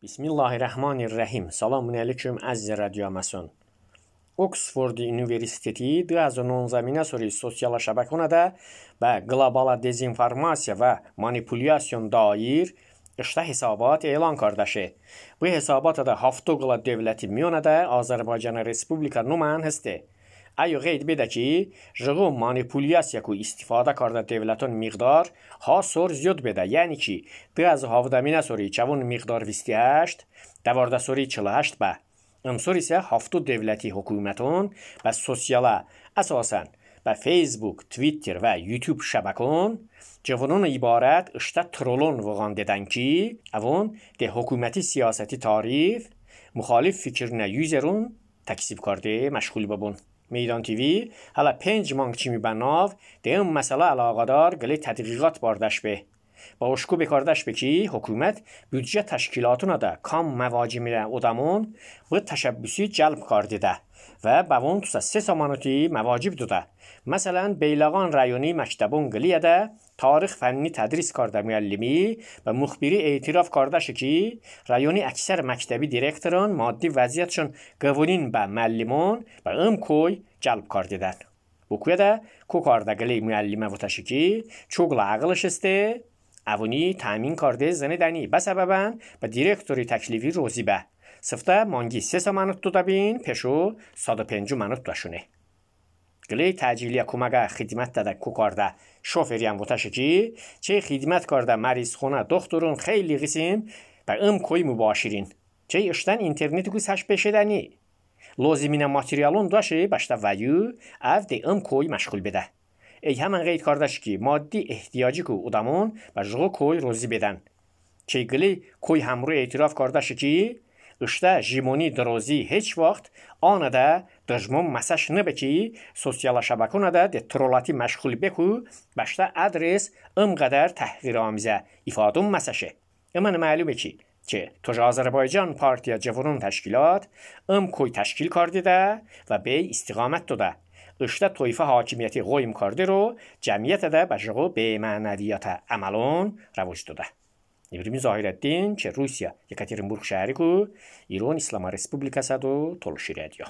Bismillahirrahmanirrahim. Selamun aleyküm əziz radiomason. Oksford Universiteti 2019 soru sosial şəbəkədə və qlobal dezinformasiya və manipulyasiyon dair işte hesabat elan kardeşi. Bu hesabat da haftoqla devleti miyonədə Azərbaycan Respublika numan həsti. Ayı qeyd bedə ki, jığo manipulyasiya ku istifadə karda devlətin miqdar hasor ziyod bedə. Yəni ki, biraz havdamina soru çavun miqdar 28, davarda soru 48 bə. Ömsor isə hafto devləti hökumətin və sosiala əsasən və Facebook, Twitter və YouTube şəbəkən cavunun ibarət işte trolon vəğan dedən ki, avun de hökuməti siyasəti tarif, müxalif fikrinə yüzerun təksib kardı məşğul bubun. میدان تیوی حالا 5 مانگ چی میبناو ده اون مسئله علاقدار گلی تدقیقات باردش به با اشکو بکاردش به کی حکومت بودجه تشکیلاتون ده کام مواجه میره ادامون و تشبیسی جلب کرده ده و باون تو 3 سامانوتی مواجب دوده مثلا بیلغان رایونی مکتبون گلیه ده تاریخ فنی تدریس کرده معلمی و مخبری اعتراف کرده شکی رایونی اکثر مکتبی دیرکتران مادی وضعیتشون قوانین به معلمان و ام کوی جلب کرده دن بکوی ده کو کرده گلی معلمه و تشکی چوگل عقلش استه اوونی تامین کرده زنه دنی به سببن به دیرکتوری تکلیفی روزی به سفته مانگی 3 سامانوت دو دبین پشو 105 منوت داشونه گلی تاجیلی کمگه خدمت داده کو کرده شوفری هم وتاشه کی چه خدمت کرده مریض خونه دکترون خیلی قسم و ام کوی مباشرین چه اشتن اینترنتی کو سش بشدنی لازمینه ماتریالون داشه باشته ویو اف دی ام کوی مشغول بده ای همان قید کردش کی مادی احتیاجی کو ادامون و جغو کوی روزی بدن چه گلی کوی همرو اعتراف کردش کی اشته جیمونی درازی هیچ وقت آنه ده دجمون مساج نبکی سوسیال شبکونه ده ترولاتی مشغول بکو باشته ادرس قدر تحقیر آمیزه ifadum مساشه اما معلومه کی که توج آذربایجان پارتیا جوانون تشکیلات کوی تشکیل کرده ده و به استقامت داده اشته طایفه حاکمیتی قایم کرده رو جمعیت ده بجغو به معنویات عملون رواج داده İbrahim Zahireddin که روسیا یکاترینبورگ شهری کو ایران اسلام respublikası do toluşur ediyor.